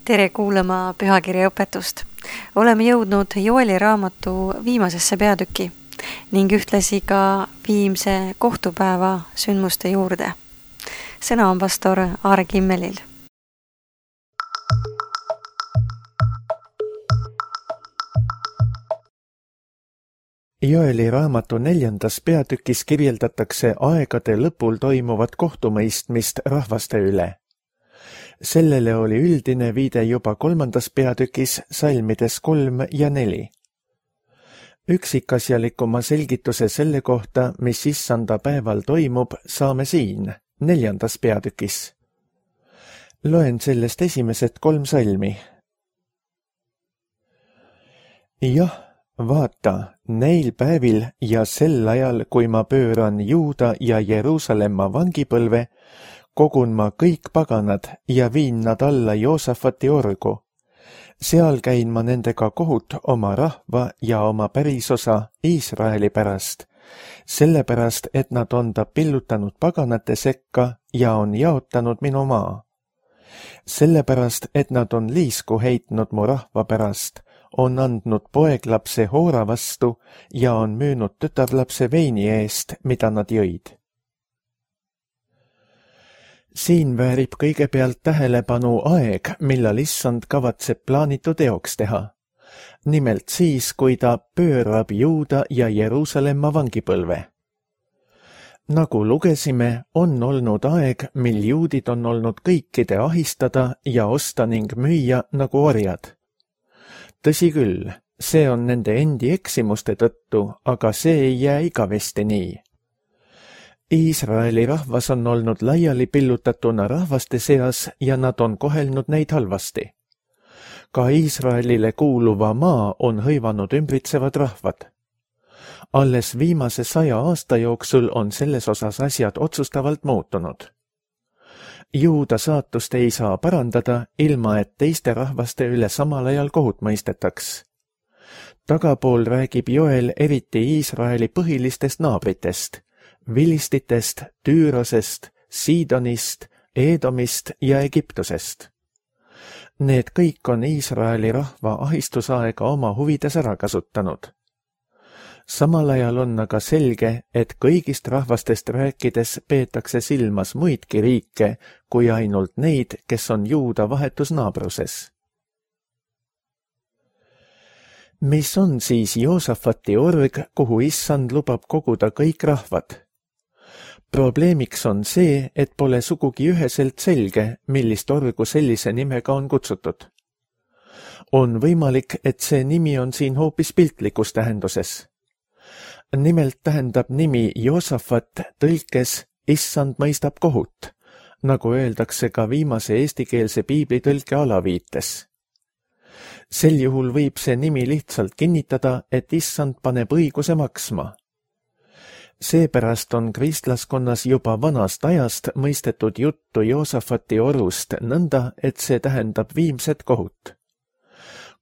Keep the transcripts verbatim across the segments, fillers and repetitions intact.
Tere kuulama pühakirja õpetust. Oleme jõudnud Joeli raamatu viimasesse peatüki ning ühtlasi ka viimse kohtupäeva sündmuste juurde. Sõna on pastor Aare Kimmelil. Joeli raamatu neljandas peatükis kirjeldatakse aegade lõpul toimuvat kohtumõistmist rahvaste üle. Sellele oli üldine viide juba kolmandas peatükis salmides kolm ja neli. Üksikasjalikuma selgituse selle kohta, mis issanda päeval toimub, saame siin, neljandas peatükis. Loen sellest esimesed kolm salmi. Jah, vaata, neil päevil ja sel ajal, kui ma pööran Juuda ja Jeruusalemma vangipõlve, kogun ma kõik paganad ja viin nad alla Joosafati orgu. Seal käin ma nendega kohut oma rahva ja oma pärisosa Iisraeli pärast, sellepärast, et nad on ta pillutanud paganate sekka ja on jaotanud minu maa. Sellepärast, et nad on liisku heitnud mu rahva pärast, on andnud poeglapse hoora vastu ja on müünud tütarlapse veini eest, mida nad jõid. Siin väärib kõigepealt tähelepanu aeg, millal issand kavatseb plaanitu teoks teha. Nimelt siis, kui ta pöörab Juuda ja Jeruusalemma vangipõlve. Nagu lugesime, on olnud aeg, mil juudid on olnud kõikide ahistada ja osta ning müüa nagu orjad. Tõsi küll, see on nende endi eksimuste tõttu, aga see ei jää igavesti nii. Iisraeli rahvas on olnud laiali pillutatuna rahvaste seas ja nad on kohelnud neid halvasti. Ka Iisraelile kuuluva maa on hõivanud ümbritsevad rahvad. Alles viimase saja aasta jooksul on selles osas asjad otsustavalt muutunud. Juuda saatust ei saa parandada, ilma et teiste rahvaste üle samal ajal kohut mõistetaks. Tagapool räägib Joel eriti Iisraeli põhilistest naabritest, Vilistitest, Tüürosest, Siidonist, Eedomist ja Egiptusest. Need kõik on Iisraeli rahva ahistusaega oma huvides ära kasutanud. Samal ajal on aga selge, et kõigist rahvastest rääkides peetakse silmas muidki riike kui ainult neid, kes on Juuda vahetus naabruses. Mis on siis Joosafati org, kuhu issand lubab koguda kõik rahvad? Probleemiks on see, et pole sugugi üheselt selge, millist orgu sellise nimega on kutsutud. On võimalik, et see nimi on siin hoopis piltlikus tähenduses. Nimelt tähendab nimi Joosafat tõlkes issand mõistab kohut, nagu öeldakse ka viimase eestikeelse piiblitõlke alaviites. Sel juhul võib see nimi lihtsalt kinnitada, et issand paneb õiguse maksma. Seepärast on kristlaskonnas juba vanast ajast mõistetud juttu Joosafati orust nõnda, et see tähendab viimset kohut.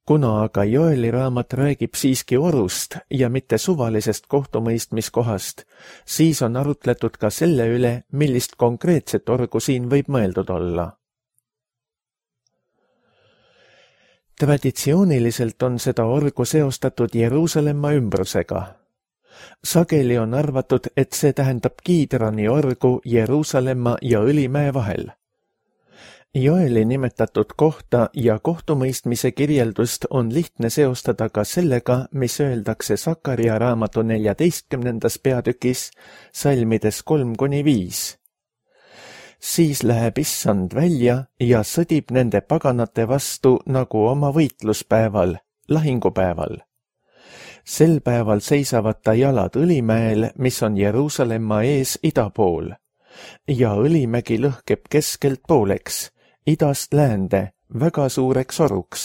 Kuna aga Joeli raamat räägib siiski orust ja mitte suvalisest kohtumõistmiskohast, siis on arutletud ka selle üle, millist konkreetset orgu siin võib mõeldud olla. Traditsiooniliselt on seda orgu seostatud Jeruusalemma ümbrusega. Sageli on arvatud, et see tähendab Kiidrani orgu Jeruusalemma ja Õlimäe vahel. Joeli nimetatud kohta ja kohtumõistmise kirjeldust on lihtne seostada ka sellega, mis öeldakse Sakaria raamatu neljateistkümnendas peatükis, salmides kolm kuni viis. Siis läheb issand välja ja sõdib nende paganate vastu nagu oma võitluspäeval, lahingupäeval. Sel päeval seisavad ta jalad Õlimäel, mis on Jeruusalemma ees ida pool, ja Õlimägi lõhkeb keskelt pooleks, idast läände, väga suureks oruks,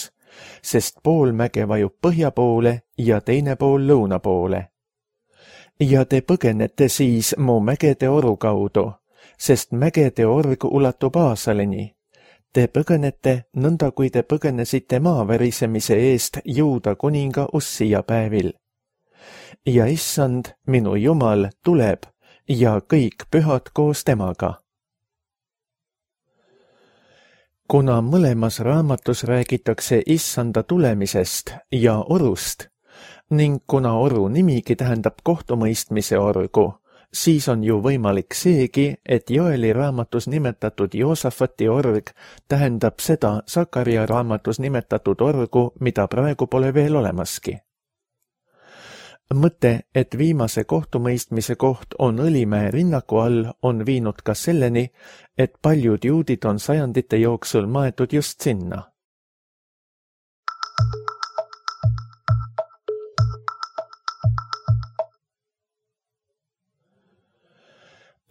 sest pool mäge vajub põhja poole ja teine pool lõuna poole. Ja te põgenete siis mu mägede oru kaudu, sest mägede org ulatub Aasaleni. Te põgenete nõnda, kui te põgenesite maavärisemise eest Juuda kuninga Ussia päevil. Ja issand, minu Jumal, tuleb ja kõik pühad koos temaga. kuna mõlemas raamatus räägitakse issanda tulemisest ja orust ning kuna oru nimigi tähendab kohtumõistmise orgu, siis on ju võimalik seegi, et Joeli raamatus nimetatud Joosafati org tähendab seda Sakaria raamatus nimetatud orgu, mida praegu pole veel olemaski. Mõte, et viimase kohtumõistmise koht on Õlimäe rinnaku all, on viinud ka selleni, et paljud juudid on sajandite jooksul maetud just sinna.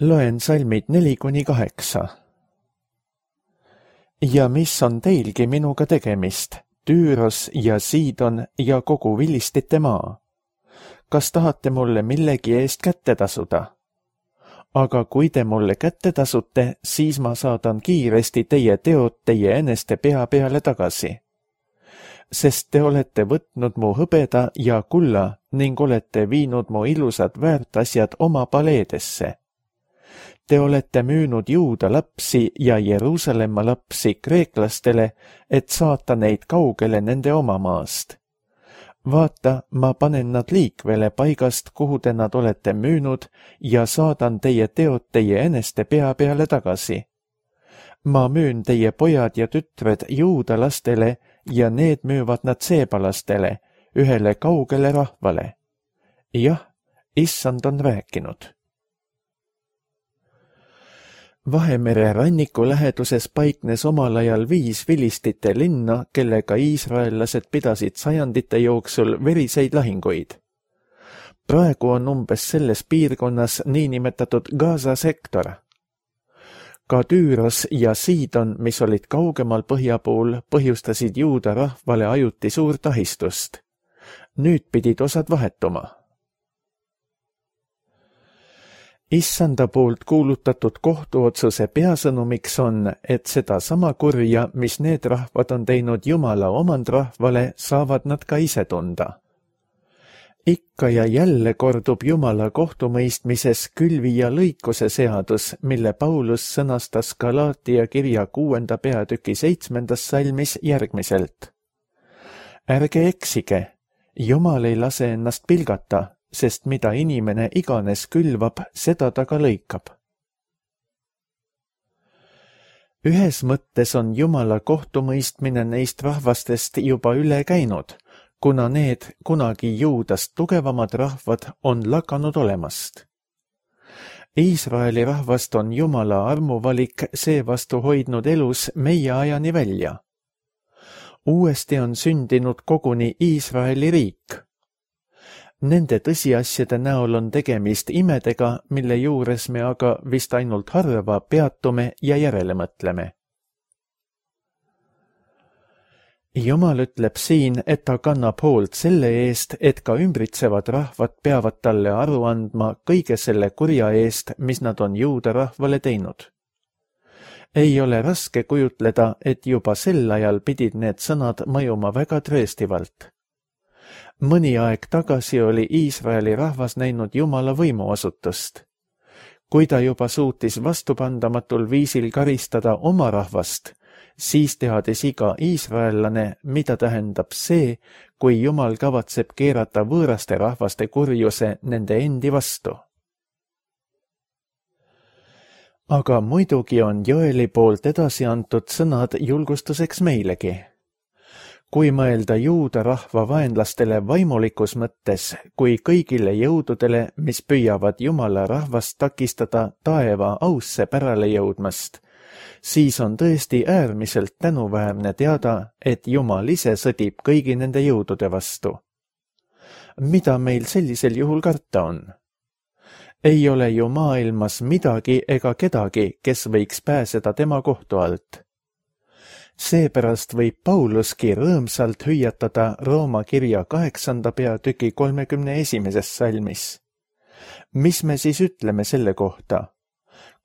Loen salmid neli kuni kaheksa. Ja mis on teilgi minuga tegemist, Tüüros ja Siidon ja kogu vilistite maa? Kas tahate mulle millegi eest kätte tasuda? Aga kui te mulle kätte tasute, siis ma saadan kiiresti teie teod teie eneste pea peale tagasi. Sest te olete võtnud mu hõbeda ja kulla ning olete viinud mu ilusad väärtasjad oma paleedesse. Te olete müünud Juuda lapsi ja Jeruusalemma lapsi kreeklastele, et saata neid kaugele nende oma maast. Vaata, ma panen nad liikvele paigast, kuhu te nad olete müünud ja saadan teie teod teie eneste pea peale tagasi. Ma müün teie pojad ja tütred Juuda lastele ja need müüvad nad seebalastele, ühele kaugele rahvale. Jah, issand on rääkinud. Vahemere ranniku läheduses paiknes omal ajal viis vilistite linna, kellega iisraellased pidasid sajandite jooksul veriseid lahinguid. Praegu on umbes selles piirkonnas niinimetatud Gaza sektor. Ka Tüüros ja Siidon, mis olid kaugemal põhjapool, põhjustasid Juuda rahvale ajuti suurt ahistust. Nüüd pidid osad vahetuma. Issanda poolt kuulutatud kohtuotsuse peasõnumiks on, et seda sama kurja, mis need rahvad on teinud Jumala omandrahvale, saavad nad ka ise tunda. Ikka ja jälle kordub Jumala kohtumõistmises külvi ja lõikuse seadus, mille Paulus sõnastas Galaatia kirja kuuenda peatüki seitsmendas salmis järgmiselt. Ärge eksige, Jumal ei lase ennast pilgata, sest mida inimene iganes külvab, seda ta ka lõikab. Ühes mõttes on Jumala kohtumõistmine neist rahvastest juba üle käinud, kuna need kunagi Juudast tugevamad rahvad on lakanud olemast. Iisraeli rahvast on Jumala armuvalik seevastu hoidnud elus meie ajani välja. Uuesti on sündinud koguni Iisraeli riik. Nende tõsiasjade näol on tegemist imedega, mille juures me aga vist ainult harva peatume ja järele mõtleme. Jumal ütleb siin, et ta kannab hoolt selle eest, et ka ümbritsevad rahvad peavad talle aru andma kõige selle kurja eest, mis nad on Juuda rahvale teinud. Ei ole raske kujutleda, et juba sel ajal pidid need sõnad mõjuma väga trööstivalt. Mõni aeg tagasi oli Iisraeli rahvas näinud Jumala võimuasutust. Kui ta juba suutis vastupandamatul viisil karistada oma rahvast, siis teadis iga iisraellane, mida tähendab see, kui Jumal kavatseb keerata võõraste rahvaste kurjuse nende endi vastu. Aga muidugi on Joeli poolt edasi antud sõnad julgustuseks meilegi. Kui mõelda Juuda rahva vaenlastele vaimulikus mõttes, kui kõigile jõududele, mis püüavad Jumala rahvast takistada taeva ausse pärale jõudmast, siis on tõesti äärmiselt tänuväärne teada, et Jumal ise sõdib kõigi nende jõudude vastu. Mida meil sellisel juhul karta on? Ei ole ju maailmas midagi ega kedagi, kes võiks pääseda tema kohtu alt. Seepärast võib Pauluski rõõmsalt hüüatada Rooma kirja kaheksanda peatüki kolmekümne esimeses salmis. Mis me siis ütleme selle kohta?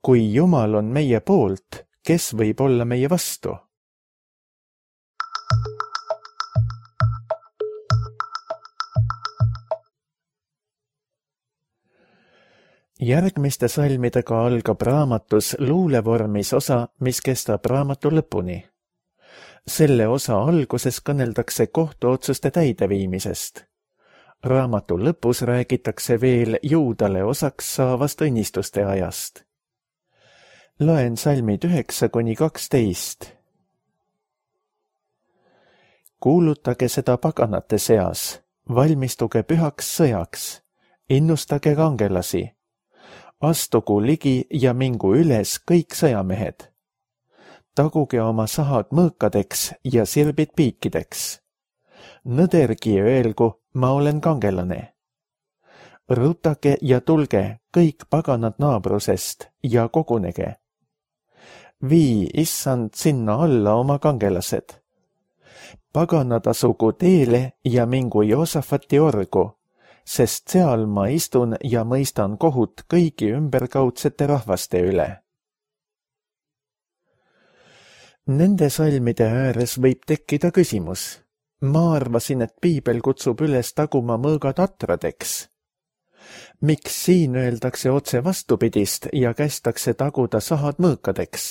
Kui Jumal on meie poolt, kes võib olla meie vastu? Järgmiste salmidega algab raamatus luulevormis osa, mis kestab raamatu lõpuni. Selle osa alguses kõneldakse kohtuotsuste täideviimisest. Raamatu lõpus räägitakse veel juudale osaks saavast õnnistuste ajast. Loen salmid üheksa kuni kaksteist. Kuulutage seda paganate seas, valmistuge pühaks sõjaks, innustage kangelasi, astugu ligi ja mingu üles kõik sõjamehed. Taguge oma sahad mõõkadeks ja sirbid piikideks. Nõdergi öelgu, ma olen kangelane. Rutage ja tulge kõik paganad naabrusest ja kogunege. Vii issand sinna alla oma kangelased. Paganad asugu teele ja mingu Joosafati orgu, sest seal ma istun ja mõistan kohut kõigi ümberkaudsete rahvaste üle. Nende salmide ääres võib tekkida küsimus. Ma arvasin, et piibel kutsub üles taguma mõõgad atradeks. Miks siin öeldakse otse vastupidist ja kästakse taguda sahad mõõkadeks?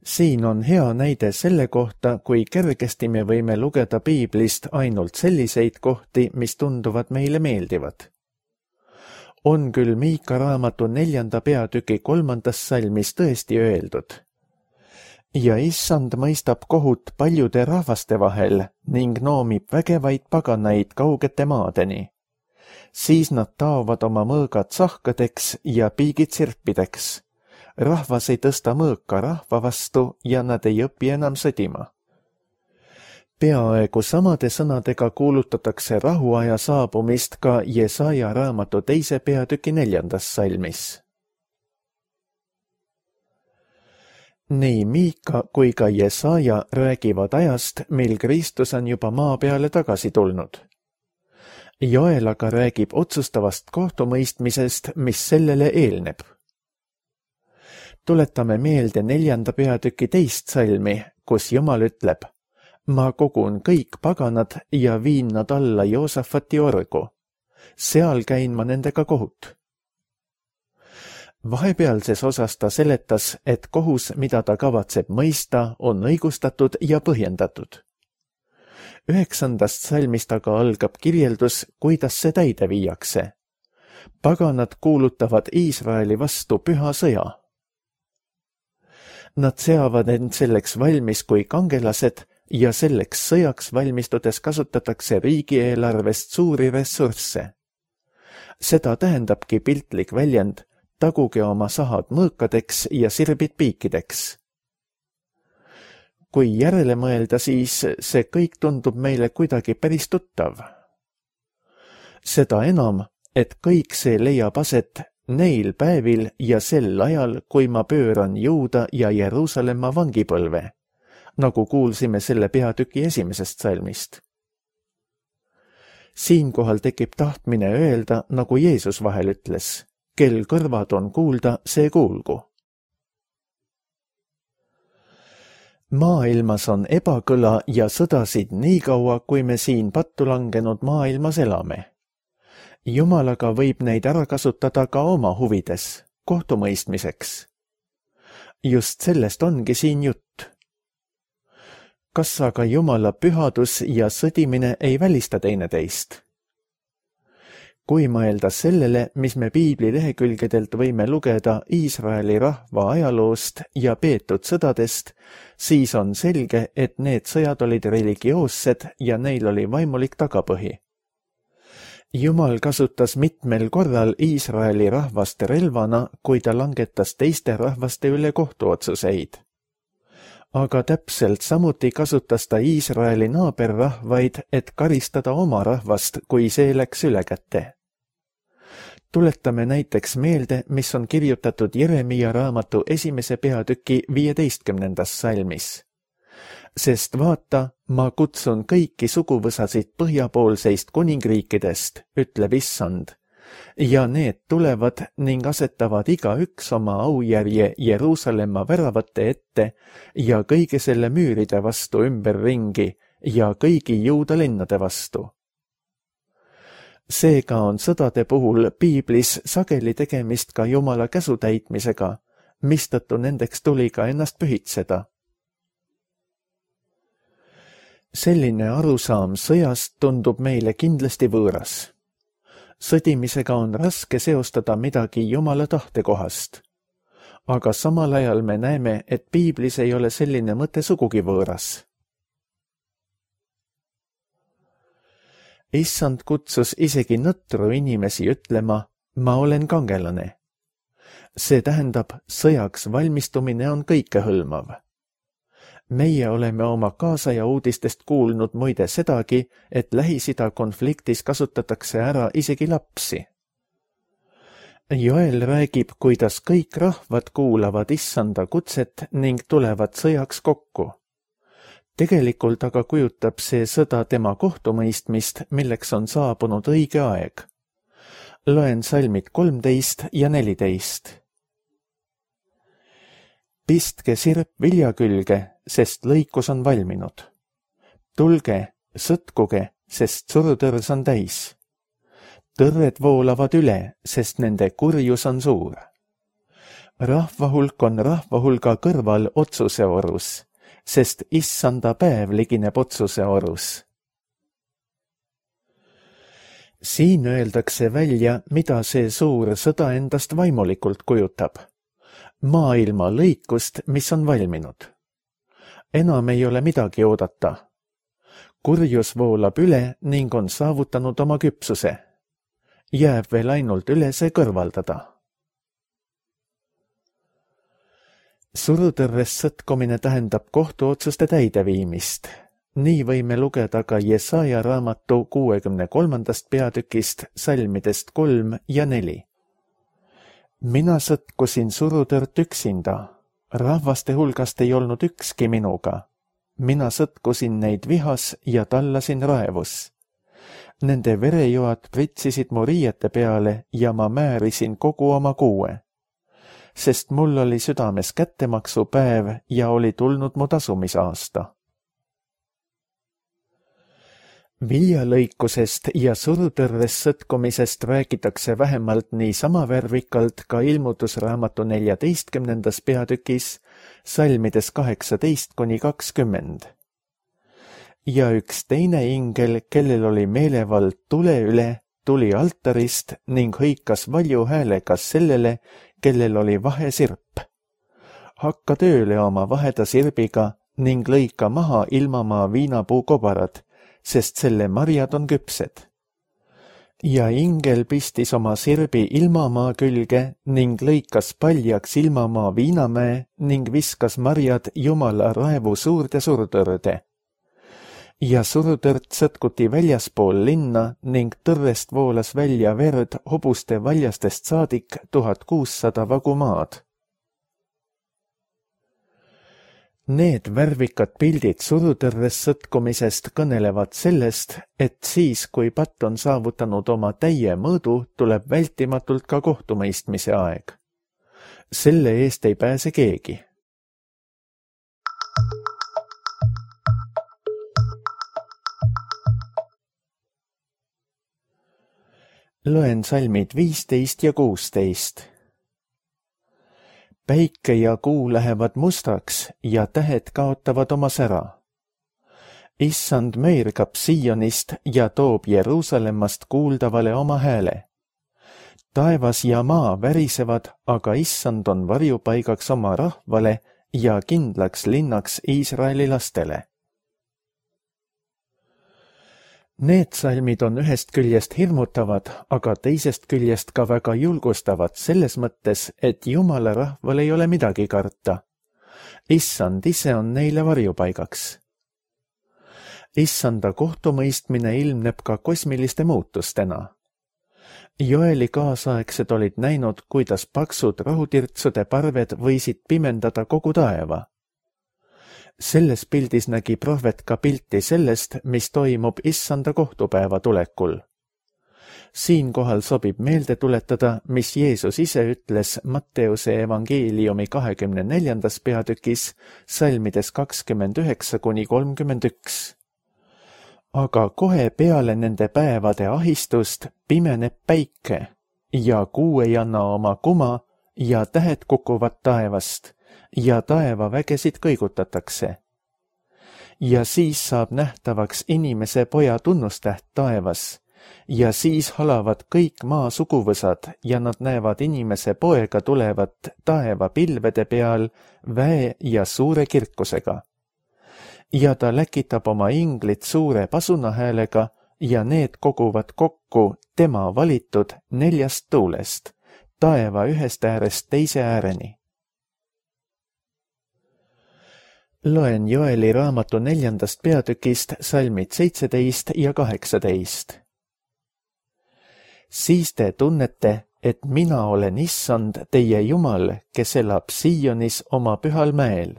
Siin on hea näide selle kohta, kui kergesti me võime lugeda piiblist ainult selliseid kohti, mis tunduvad meile meeldivad. On küll Miika raamatu neljanda peatüki kolmandas salmis tõesti öeldud. Ja issand mõistab kohut paljude rahvaste vahel ning noomib vägevaid paganaid kaugete maadeni. Siis nad taovad oma mõõgad sahkadeks ja piigid sirpideks. Rahvas ei tõsta mõõka rahva vastu ja nad ei õpi enam sõdima. Peaaegu samade sõnadega kuulutatakse rahuaja saabumist ka Jesaja raamatu teise peatüki neljandas salmis. Nii Miika kui ka Jesaja räägivad ajast, mil Kristus on juba maa peale tagasi tulnud. Joel aga räägib otsustavast kohtumõistmisest, mis sellele eelneb. Tuletame meelde neljanda peatüki teist salmi, kus Jumal ütleb, ma kogun kõik paganad ja viin nad alla Joosafati orgu. Seal käin ma nendega kohut. Vahepealses osas ta seletas, et kohus, mida ta kavatseb mõista, on õigustatud ja põhjendatud. Üheksandast salmist aga algab kirjeldus, kuidas see täide viiakse. Paganad kuulutavad Iisraeli vastu püha sõja. Nad seavad end selleks valmis kui kangelased ja selleks sõjaks valmistudes kasutatakse riigieelarvest suuri ressursse. Seda tähendabki piltlik väljend, taguge oma sahad mõõkadeks ja sirbid piikideks. Kui järele mõelda, siis see kõik tundub meile kuidagi päris tuttav. Seda enam, et kõik see leiab aset neil päevil ja sel ajal, kui ma pööran Juuda ja Jeruusalemma vangipõlve, nagu kuulsime selle peatüki esimesest salmist. Siinkohal tekib tahtmine öelda, nagu Jeesus vahel ütles, kel kõrvad on kuulda, see kuulgu. Maailmas on ebakõla ja sõdasid nii kaua, kui me siin pattu langenud maailmas elame. Jumal aga võib neid ära kasutada ka oma huvides, kohtumõistmiseks. Just sellest ongi siin jutt. Kas aga Jumala pühadus ja sõdimine ei välista teineteist? Kui mõelda sellele, mis me piibli lehekülgedelt võime lugeda Iisraeli rahva ajaloost ja peetud sõdadest, siis on selge, et need sõjad olid religioossed ja neil oli vaimulik tagapõhi. Jumal kasutas mitmel korral Iisraeli rahvast relvana, kui ta langetas teiste rahvaste üle kohtuotsuseid. Aga täpselt samuti kasutas ta Iisraeli naaberrahvaid, et karistada oma rahvast, kui see läks üle kätte. Tuletame näiteks meelde, mis on kirjutatud Jeremia raamatu esimese peatüki viieteistkümnendas salmis. Sest vaata, ma kutsun kõiki suguvõsasid põhjapoolseist kuningriikidest, ütleb issand, ja need tulevad ning asetavad igaüks oma aujärje Jeruusalemma väravate ette ja kõige selle müüride vastu ümberringi ja kõigi Juuda linnade vastu. Seega on sõdade puhul piiblis sageli tegemist ka Jumala käsu täitmisega, mistõttu nendeks tuli ka ennast pühitseda. Selline arusaam sõjast tundub meile kindlasti võõras. Sõdimisega on raske seostada midagi Jumala tahtekohast. Aga samal ajal me näeme, et piiblis ei ole selline mõte sugugi võõras. Issand kutsus isegi nõtru inimesi ütlema, ma olen kangelane. See tähendab, sõjaks valmistumine on kõikehõlmav. Meie oleme oma kaasaja uudistest kuulnud muide sedagi, et Lähis-Ida konfliktis kasutatakse ära isegi lapsi. Joel räägib, kuidas kõik rahvad kuulavad issanda kutset ning tulevad sõjaks kokku. Tegelikult aga kujutab see sõda tema kohtumõistmist, milleks on saabunud õige aeg. Loen salmid kolmteist ja neliteist. Pistke sirp vilja külge, sest lõikus on valminud. Tulge, sõtkuge, sest surutõrs on täis. Tõrred voolavad üle, sest nende kurjus on suur. Rahvahulk on rahvahulga kõrval otsuse orus, sest issanda päev ligineb otsuse orus. Siin öeldakse välja, mida see suur sõda endast vaimulikult kujutab. Maailma lõikust, mis on valminud. Enam ei ole midagi oodata. Kurjus voolab üle ning on saavutanud oma küpsuse. Jääb veel ainult üle see kõrvaldada. Surutõrres sõtkumine tähendab kohtuotsuste täideviimist. Nii võime lugeda ka Jesaja raamatu kuuekümne kolmandast peatükist salmidest kolm ja neli. Mina sõtkusin surutõrt üksinda, rahvaste hulgast ei olnud ükski minuga. Mina sõtkusin neid vihas ja tallasin raevus. Nende verejoad pritsisid mu riiete peale ja ma määrisin kogu oma kuue. Sest mul oli südames kättemaksu päev ja oli tulnud mu tasumisaasta. Viljalõikusest ja surutõrres sõtkumisest räägitakse vähemalt nii sama värvikalt ka ilmutusraamatu neljateistkümnendas peatükis, salmides kaheksateist kuni kakskümmend. Ja üks teine ingel, kellel oli meelevald tule üle, tuli altarist ning hõikas valju häälega sellele, kellel oli vahesirp. Hakka tööle oma vaheda sirbiga ning lõika maha ilmamaa viinapuu kobarad, sest selle marjad on küpsed. Ja ingel pistis oma sirbi ilmamaa külge ning lõikas paljaks ilmamaa viinamäe ning viskas marjad Jumala raevu suurde surutõrde. Ja surutõrt sõtkuti väljaspool linna ning tõrrest voolas välja verd hobuste valjastest saadik tuhat kuussada vagu maad. Need värvikad pildid surutõrres sõtkumisest kõnelevad sellest, et siis, kui patt on saavutanud oma täie mõõdu, tuleb vältimatult ka kohtumõistmise aeg. Selle eest ei pääse keegi. Loen salmid viisteist ja kuusteist. Päike ja kuu lähevad mustaks ja tähed kaotavad oma sära. Issand meergab Sionist ja toob Jeruusalemmast kuuldavale oma hääle. Taevas ja maa värisevad, aga issand on varjupaigaks oma rahvale ja kindlaks linnaks Iisraeli lastele. Need salmid on ühest küljest hirmutavad, aga teisest küljest ka väga julgustavad selles mõttes, et Jumala rahval ei ole midagi karta. Issand ise on neile varjupaigaks. Issanda kohtumõistmine ilmneb ka kosmiliste muutustena. Joeli kaasaegsed olid näinud, kuidas paksud rahutirtsude parved võisid pimendada kogu taeva. Selles pildis nägi prohvet ka pilti sellest, mis toimub issanda kohtupäeva tulekul. Siinkohal sobib meelde tuletada, mis Jeesus ise ütles Matteuse evangeeliumi kahekümne neljandas peatükis, salmides kakskümmend üheksa kuni kolmkümmend üks. Aga kohe peale nende päevade ahistust pimeneb päike ja kuu ei anna oma kuma ja tähed kukuvad taevast ja taevavägesid kõigutatakse. ja siis saab nähtavaks inimese poja tunnustäht taevas ja siis halavad kõik maa suguvõsad ja nad näevad inimese poega tulevat taeva pilvede peal väe ja suure kirkusega. Ja ta läkitab oma inglit suure pasunahäälega ja need koguvad kokku tema valitud neljast tuulest, taeva ühest äärest teise ääreni. Loen Joeli raamatu neljandast peatükist salmid seitseteist ja kaheksateist. Siis te tunnete, et mina olen issand teie Jumal, kes elab Sionis oma pühal mäel.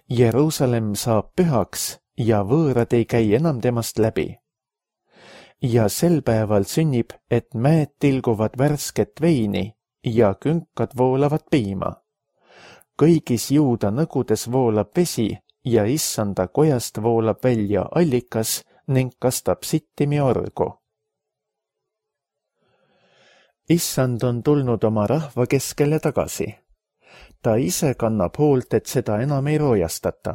Jeruusalemm saab pühaks ja võõrad ei käi enam temast läbi. Ja sel päeval sünnib, et mäed tilguvad värsket veini ja künkad voolavad piima. Kõigis juuda nõgudes voolab vesi ja issanda kojast voolab välja allikas ning kastab sittimi orgu. Issand on tulnud oma rahva keskele tagasi. Ta ise kannab hoolt, et seda enam ei roojastata.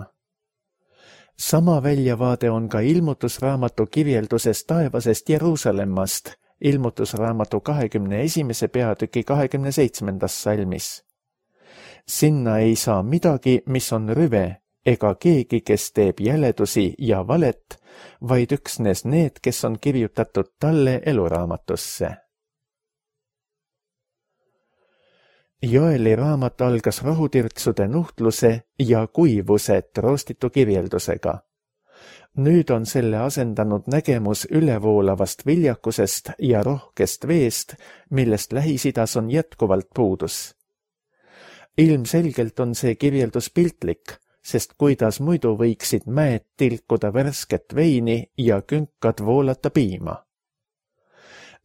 Sama väljavaade on ka ilmutusraamatu kirjeldusest taevasest Jeruusalemmast, ilmutusraamatu kahekümne esimese peatüki kahekümne seitsmendas salmis. Sinna ei saa midagi, mis on rüve, ega keegi, kes teeb jäledusi ja valet, vaid üksnes need, kes on kirjutatud talle eluraamatusse. Joeli raamat algas rohutirtsude nuhtluse ja kuivuse troostitu kirjeldusega. Nüüd on selle asendanud nägemus ülevoolavast viljakusest ja rohkest veest, millest Lähis-Idas on jätkuvalt puudus. Ilmselgelt on see kirjeldus piltlik, sest kuidas muidu võiksid mäed tilkuda värsket veini ja künkad voolata piima.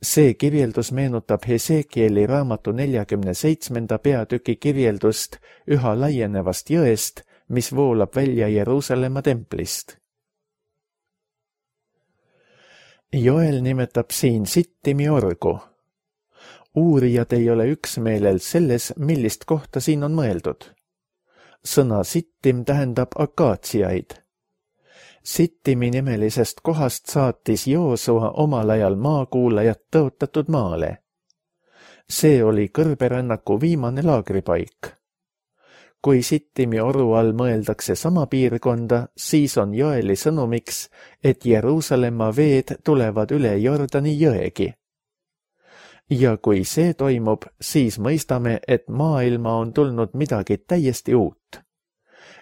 See kirjeldus meenutab Hesekieli raamatu neljakümne seitsmenda peatüki kirjeldust üha laienevast jõest, mis voolab välja Jeruusalemma templist. Joel nimetab siin sittimi orgu. Uurijad ei ole üksmeelel selles, millist kohta siin on mõeldud. Sõna sittim tähendab akaatsiaid. Sittimi nimelisest kohast saatis Joosua omal ajal maakuulajat tõotatud maale. See oli kõrberännaku viimane laagripaik. Kui Sittimi oru all mõeldakse sama piirkonda, siis on Joeli sõnumiks, et Jeruusalemma veed tulevad üle Jordani jõegi. Ja kui see toimub, siis mõistame, et maailma on tulnud midagi täiesti uut.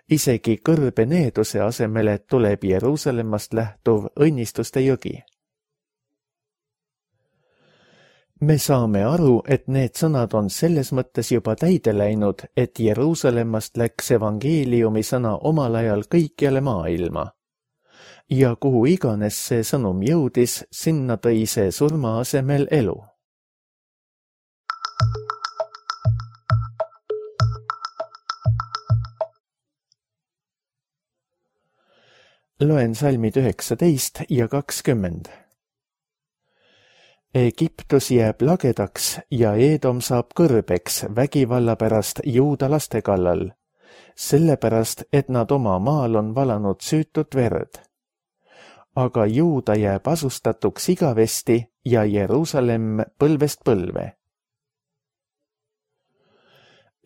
Isegi kõrbe needuse asemele tuleb Jeruusalemmast lähtuv õnnistuste jõgi. Me saame aru, et need sõnad on selles mõttes juba täide läinud, et Jeruusalemmast läks evangeeliumi sõna omal ajal kõikjale maailma. Ja kuhu iganes see sõnum jõudis, sinna tõi see surma asemel elu. Loen salmid üheksateist ja kakskümmend. Egiptus jääb lagedaks ja Eedom saab kõrbeks vägivalla pärast juuda laste kallal, sellepärast, et nad oma maal on valanud süütut verd. Aga juuda jääb asustatuks igavesti ja Jeruusalemm põlvest põlve.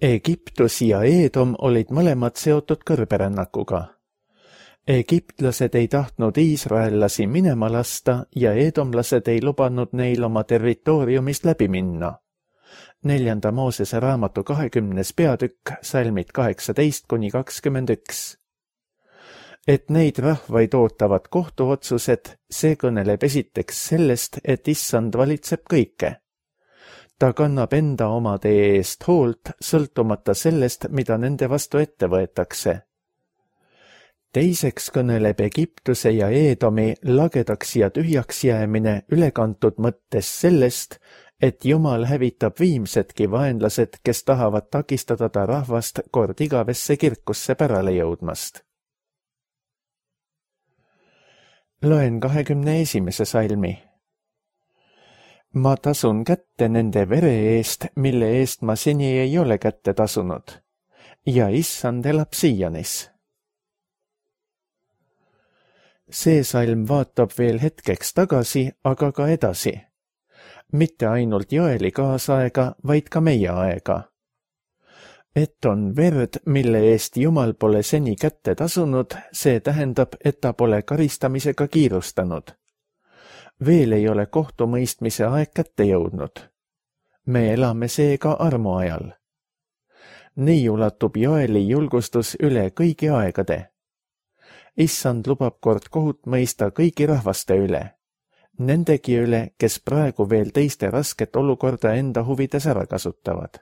Egiptus ja Eedom olid mõlemad seotud kõrberännakuga. Egiptlased ei tahtnud iisraellasi minema lasta ja eedomlased ei lubanud neil oma territooriumist läbi minna. Neljanda Moosese raamatu kahekümnes peatükk, salmid kaheksateist kuni kakskümmend üks. Et neid rahvaid ootavad kohtuotsused, see kõneleb esiteks sellest, et issand valitseb kõike. Ta kannab enda omade eest hoolt, sõltumata sellest, mida nende vastu ette võetakse. Teiseks kõneleb Egiptuse ja Eedomi lagedaks ja tühjaks jäämine ülekantud mõttes sellest, et Jumal hävitab viimsedki vaenlased, kes tahavad takistada ta rahvast kord igavesse kirkusse pärale jõudmast. Loen kahekümne esimese salmi. Ma tasun kätte nende vere eest, mille eest ma seni ei ole kätte tasunud, ja issand elab Sionis. see salm vaatab veel hetkeks tagasi, aga ka edasi. Mitte ainult Joeli kaasaega, vaid ka meie aega. Et on verd, mille eest Jumal pole seni kätte tasunud, see tähendab, et ta pole karistamisega kiirustanud. Veel ei ole kohtumõistmise aeg kätte jõudnud. Me elame seega armu ajal. Nii ulatub Joeli julgustus üle kõigi aegade. Issand lubab kord kohut mõista kõigi rahvaste üle. Nendegi üle, kes praegu veel teiste rasket olukorda enda huvides ära kasutavad.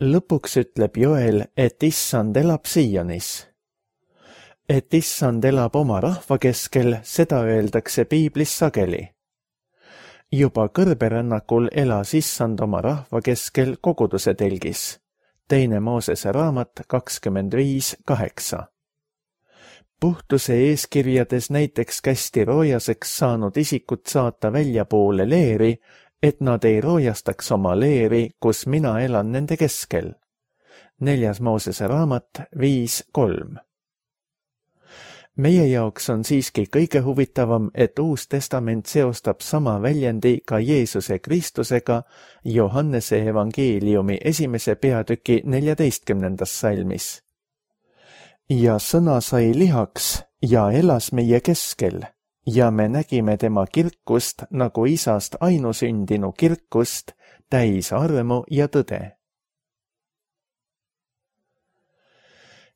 Lõpuks ütleb Joel, et Issand elab Sionis. Et Issand elab oma rahva keskel, seda öeldakse piiblis sageli. Juba kõrberännakul elas Issand oma rahva keskel koguduse telgis. Teine Moosese raamat kakskümmend viis kaheksa. Puhtuse eeskirjades näiteks kästi roojaseks saanud isikut saata väljapoole leeri, et nad ei roojastaks oma leeri, kus mina elan nende keskel. Neljas Moosese raamat viis kolm. Meie jaoks on siiski kõige huvitavam, et Uus Testament seostab sama väljendi ka Jeesuse Kristusega Johannese evangeeliumi esimese peatüki neljateistkümnendas salmis. Ja sõna sai lihaks ja elas meie keskel, ja me nägime tema kirkust nagu isast ainusündinu kirkust, täis armu ja tõde.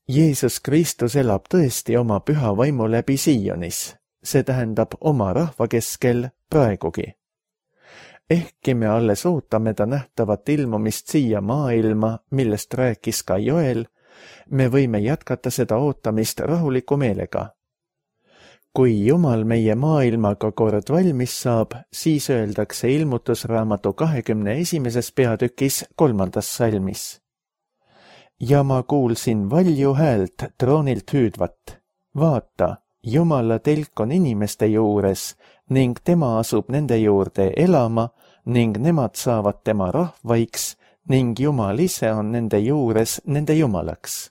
Jeesus Kristus elab tõesti oma püha vaimu läbi Sionis, see tähendab oma rahva keskel praegugi. Ehkki me alles ootame ta nähtavat ilmumist siia maailma, millest rääkis ka Joel, me võime jätkata seda ootamist rahuliku meelega. Kui Jumal meie maailmaga kord valmis saab, siis öeldakse ilmutusraamatu kahekümne esimeses peatükis kolmandas salmis. Ja ma kuulsin valju häält troonilt hüüdvat. Vaata, Jumala telk on inimeste juures ning tema asub nende juurde elama ning nemad saavad tema rahvaiks ning Jumal ise on nende juures nende Jumalaks.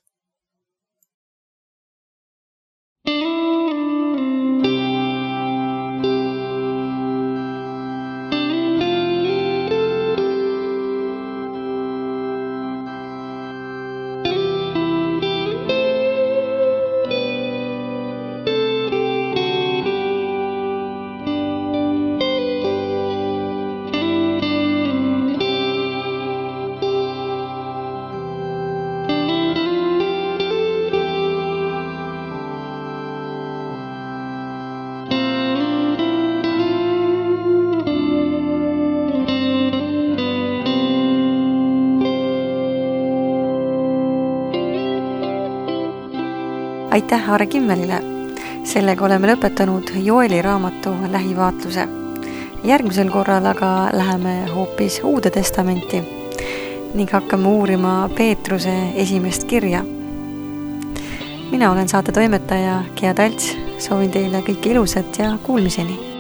Aitäh Aare Kimmelile! Sellega oleme lõpetanud Joeli raamatu lähivaatluse. Järgmisel korral aga läheme hoopis Uude Testamenti ning hakkame uurima Peetruse esimest kirja. Mina olen saate toimetaja Gea Talts, soovin teile kõike ilusat ja kuulmiseni!